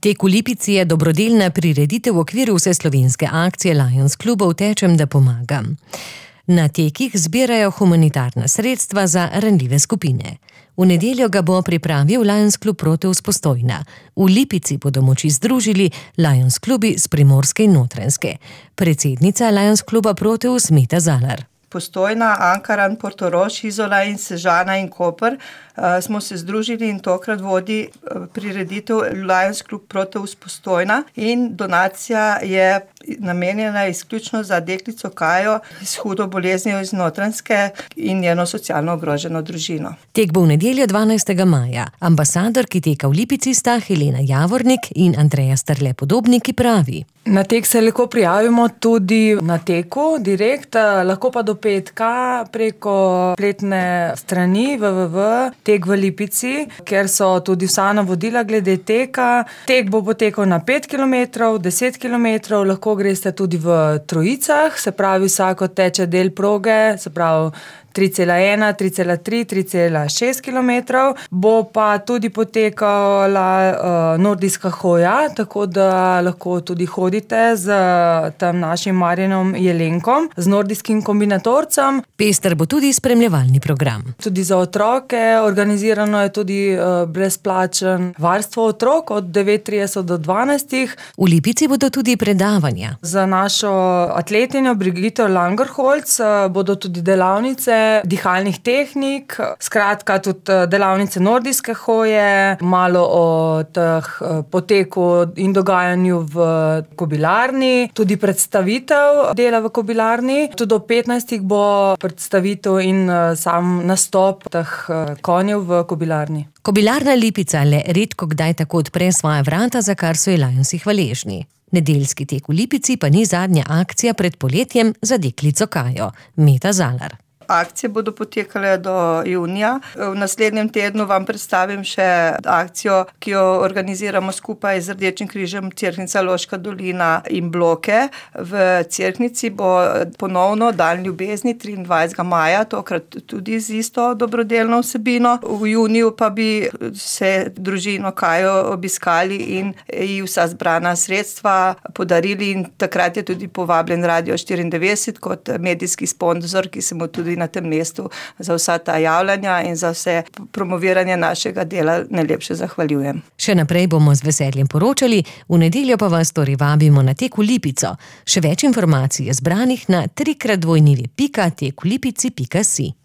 Tek v Lipici je dobrodelna prireditev v okviru vseslovenske akcije Lions klubov Tečem, da pomagam. Na tekih zbirajo humanitarna sredstva za ranljive skupine. V nedeljo ga bo pripravil Lions klub Proteus Postojna. V Lipici bodo moči združili Lions klubi s Primorske in Notranjske. Predsednica Lions kluba Proteus Meta Zalar. Postojna, Ankaran, Portorož, Izola in Sežana in Koper smo se združili in tokrat vodi prireditev Lions klub Proteus Postojna in donacija je namenjena izključno za deklico Kajo s hudo boleznijo iz Notranjske in njeno socialno ogroženo družino. Tek bo v nedeljo 12. maja. Ambasadorki teka v Lipici sta Helena Javornik in Andreja Strle Podobnik, ki pravi: Na tek se lahko prijavimo tudi na teku direkt, lahko pa do petka preko spletne strani www.tek v Lipici, kjer so tudi vsa navodila glede teka. Tek bo potekal na 5 km, 10 km, lahko greste tudi v trojicah, se pravi vsako teče del proge, se pravi 3,1, 3,3, 3,6 km. Bo pa tudi potekala nordijska hoja, tako da lahko tudi hodite z tam našim Marjanom Jelenkom, z nordijskim kombinatorcem. Pester bo tudi spremljevalni program. Tudi za otroke organizirano je tudi brezplačen varstvo otrok od 9:30 do 12. V Lipici bodo tudi predavanja. Za našo atletinjo Brigito Langerholz bodo tudi delavnice dihalnih tehnik, skratka tudi delavnice nordijske hoje, malo o teh poteku in dogajanju v kobilarni, tudi predstavitev dela v kobilarni. Tudi do 15. bo predstavitev in sam nastop teh konjev v kobilarni. Kobilarna Lipica le redko kdaj tako odpre svoja vrata, za kar so ji Lionsi hvaležni. Nedeljski tek v Lipici pa ni zadnja akcija pred poletjem za deklico Kajo. Meta Zalar. Akcije bodo potekale do junija. V naslednjem tednu vam predstavim še akcijo, ki jo organiziramo skupaj z Rdečim križem Cerknica, Loška dolina in Bloke. V Cerknici bo ponovno Dan ljubezni 23. maja, tokrat tudi z isto dobrodelno vsebino. V juniju pa bi se družino Kajo obiskali in ji vsa zbrana sredstva podarili in takrat je tudi povabljen Radio 94 kot medijski sponzor, ki se mu tudi na tem mestu za vsa ta javljanja in za vse promoviranje našega dela najlepše zahvaljujem. Še naprej bomo z veseljem poročali, v nedeljo pa vas torej vabimo na tek v Lipico. Še več informacij je zbranih na 3x2.tek-v-lipici.si.